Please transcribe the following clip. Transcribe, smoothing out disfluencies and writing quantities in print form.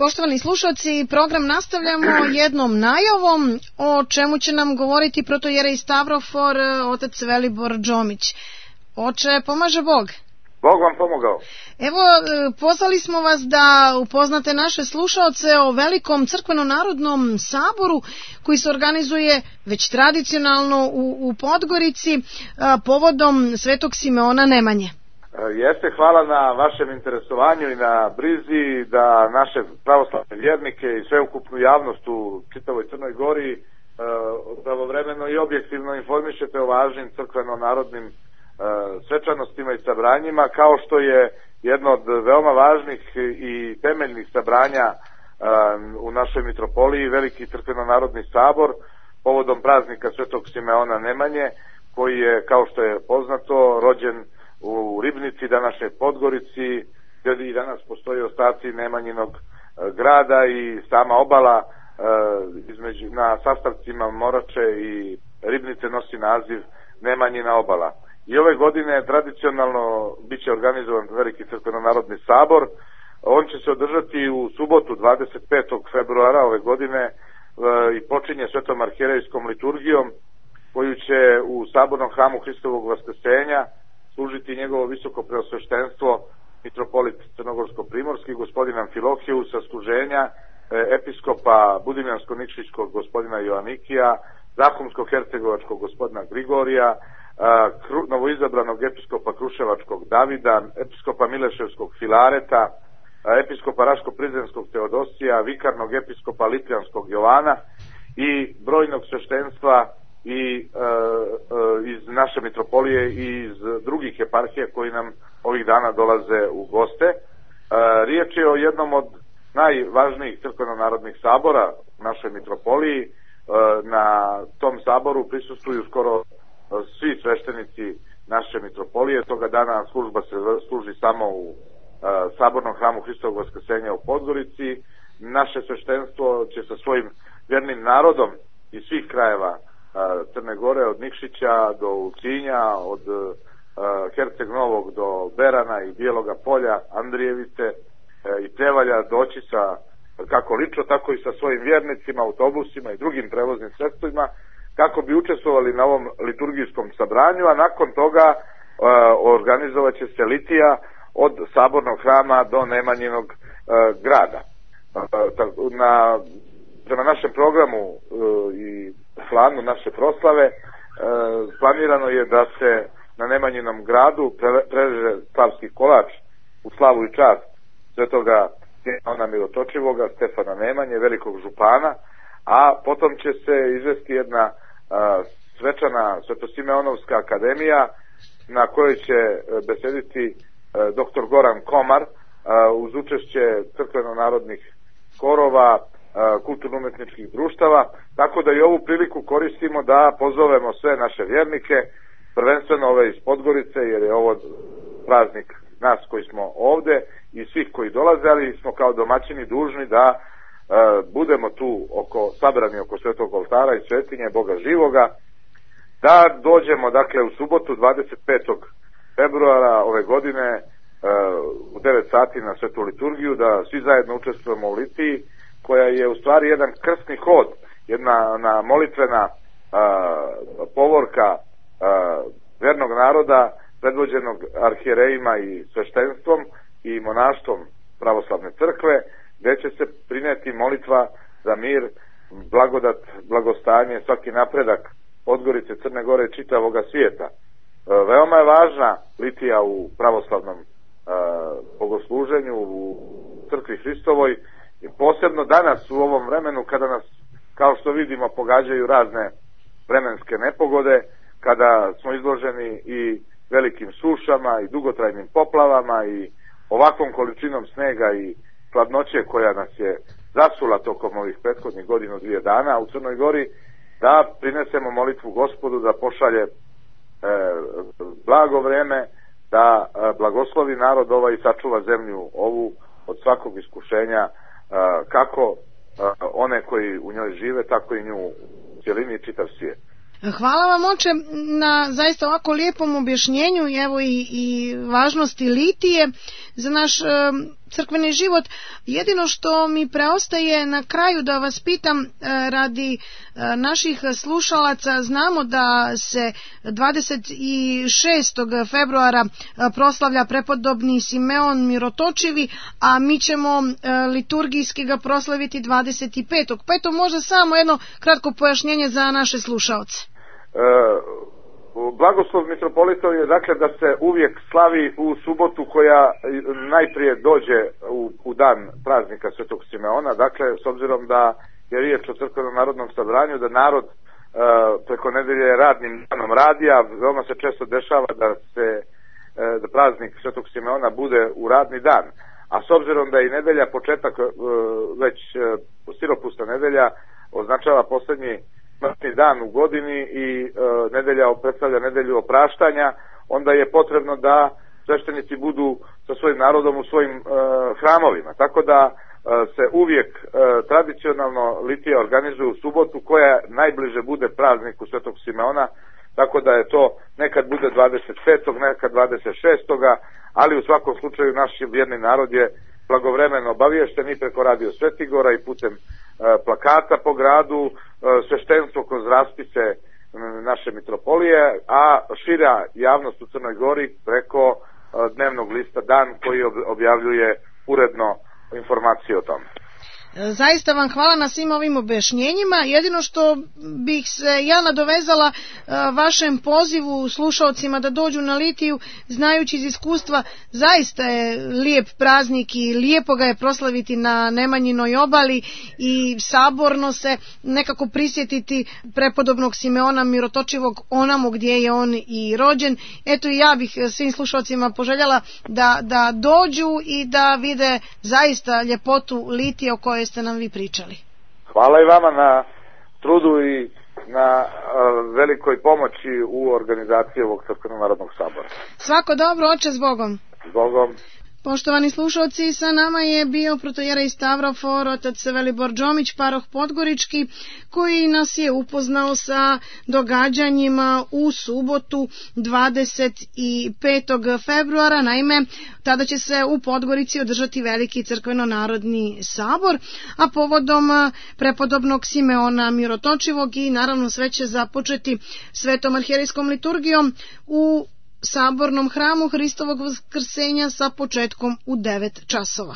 Poštovani slušalci, program nastavljamo jednom najavom o čemu će nam govoriti protojerej Stavrofor, otac Velibor Džomić. Oče, pomaže Bog. Bog vam pomogao. Evo, pozvali smo vas da upoznate naše slušalce o velikom crkveno-narodnom saboru koji se organizuje već tradicionalno u Podgorici povodom Svetog Simeona Nemanje. Jeste, hvala na vašem interesovanju i na brizi da naše pravoslavne vjernike i sveukupnu javnost u čitavoj Crnoj Gori pravovremeno i objektivno informišete o važnim crkveno-narodnim svečanostima i sabranjima, kao što je jedno od veoma važnih i temeljnih sabranja u našoj mitropoliji veliki crkveno-narodni sabor povodom praznika Svetog Simeona Nemanje, koji je, kao što je poznato, rođen u Ribnici, današnjoj Podgorici, gdje i danas postoje ostaci Nemanjinog grada i sama obala na sastavcima Morače i Ribnice nosi naziv Nemanjina obala. I ove godine tradicionalno bit će organizovan veliki crkveno-narodni sabor. On će se održati u subotu 25. februara ove godine i počinje svetom arhijerejskom liturgijom koju će u sabornom hramu Hristovog Vaskrsenja služiti njegovo visoko preosveštenstvo mitropolit Crnogorsko-primorski gospodin Amfilohiju sa služenja episkopa Budimljansko-Nikšićkog gospodina Joanikija, Zahumsko-hercegovačkog gospodina Grigorija, novoizabranog episkopa Kruševačkog Davida, episkopa Mileševskog Filareta, episkopa Raško-Prizrenskog Teodosija, vikarnog episkopa Litljanskog Jovana i brojnog sveštenstva i iz naše mitropolije i iz drugih eparhija koji nam ovih dana dolaze u goste. Riječ je o jednom od najvažnijih crkveno-narodnih sabora u našoj mitropoliji. Na tom saboru prisustvuju skoro svi sveštenici naše mitropolije. Toga dana služba se služi samo u sabornom hramu Hristovog Vaskrsenja u Podgorici. Naše sveštenstvo će sa svojim vjernim narodom iz svih krajeva Crne Gore, od Nikšića do Ulcinja, od Herceg Novog do Berana i Bijeloga Polja, Andrijevice i Pljevalja doći sa kako lično, tako i sa svojim vjernicima, autobusima i drugim prevoznim sredstvima kako bi učestvovali na ovom liturgijskom sabranju, a nakon toga organizovat će se litija od sabornog hrama do Nemanjinog grada. Prema našem programu i planu naše proslave planirano je da se na Nemanjinom gradu prereže slavski kolač u slavu i čast svetoga Simeona Mirotočivoga, Stefana Nemanje, velikog župana, a potom će se izvesti jedna svečana Svetosimeonovska akademija na kojoj će besediti dr. Goran Komar uz učešće crkveno-narodnih korova, kulturno-umetničkih društava, tako da i ovu priliku koristimo da pozovemo sve naše vjernike, prvenstveno ove iz Podgorice, jer je ovo praznik nas koji smo ovde i svih koji dolaze, ali smo kao domaćini dužni da budemo tu sabrani oko svetog oltara i svetinje Boga živoga, da dođemo dakle u subotu 25. februara ove godine u 9 sati na svetu liturgiju, da svi zajedno učestvujemo u litiji, koja je u stvari jedan krstni hod, jedna molitvena povorka vernog naroda predvođenog arhijerejima i sveštenstvom i monaštvom pravoslavne crkve, gdje će se prineti molitva za mir, blagodat, blagostanje, svaki napredak Podgorice, Crne Gore i čitavoga svijeta. Veoma je važna litija u pravoslavnom bogosluženju u crkvi Hristovoj, i posebno danas u ovom vremenu kada nas, kao što vidimo, pogađaju razne vremenske nepogode, kada smo izloženi i velikim sušama i dugotrajnim poplavama i ovakvom količinom snega i hladnoće koja nas je zasula tokom ovih prethodnih godinu, 2 dana u Crnoj Gori, da prinesemo molitvu Gospodu da pošalje blago vreme, da blagoslovi narod ovaj i sačuva zemlju ovu od svakog iskušenja, kako one koji u njoj žive, tako i nju u cjelini i čitav svijet. Hvala vam, oče, na zaista ovako lijepom objašnjenju, evo i važnosti litije za naš crkveni život. Jedino što mi preostaje na kraju da vas pitam radi naših slušalaca, znamo da se 26. februara proslavlja prepodobni Simeon Mirotočivi, a mi ćemo liturgijski ga proslaviti 25. Pa eto možda samo jedno kratko pojašnjenje za naše slušaoce. Blagoslov mitropolitov je dakle da se uvijek slavi u subotu koja najprije dođe u dan praznika Svetog Simeona, dakle s obzirom da je riječ o crkvenom narodnom sabranju, da narod preko nedelje radnim danom radi, a veoma se često dešava da praznik Svetog Simeona bude u radni dan. A s obzirom da je i nedelja početak, već stiropusna nedelja, označava posljednji smrtni dan u godini i nedelja predstavlja nedelju opraštanja, onda je potrebno da sveštenici budu sa svojim narodom u svojim hramovima. Tako da se uvijek tradicionalno litija organizuje u subotu koja najbliže bude prazniku Svetog Simeona, tako da je to nekad bude 25. nekad 26. ali u svakom slučaju naš vjerni narod je blagovremeno obaviješten i preko Radio Svetigora i putem plakata po gradu, sveštenstvo kroz raspise naše mitropolije, a šira javnost u Crnoj Gori preko dnevnog lista Dan koji objavljuje uredno informacije o tome. Zaista vam hvala na svim ovim objašnjenjima. Jedino što bih se ja nadovezala vašem pozivu slušalcima da dođu na litiju, znajući iz iskustva, zaista je lijep praznik i lijepo ga je proslaviti na Nemanjinoj obali i saborno se nekako prisjetiti prepodobnog Simeona Mirotočivog onamo gdje je on i rođen. Eto i ja bih svim slušalcima poželjela da dođu i da vide zaista ljepotu litije o kojoj ste nam vi pričali. Hvala i vama na trudu i na velikoj pomoći u organizaciji ovog Crkvenog narodnog sabora. Svako dobro, oče, s Bogom. S Bogom. Poštovani slušalci, sa nama je bio protojerej Stavrofor, otac Velibor Đomić, paroh Podgorički, koji nas je upoznao sa događanjima u subotu 25. februara. Naime, tada će se u Podgorici održati veliki crkveno-narodni sabor, a povodom prepodobnog Simeona Mirotočivog i naravno sve će započeti svetom arhijerejskom liturgijom u sabornom hramu Hristovog Vaskrsenja sa početkom u 9 časova.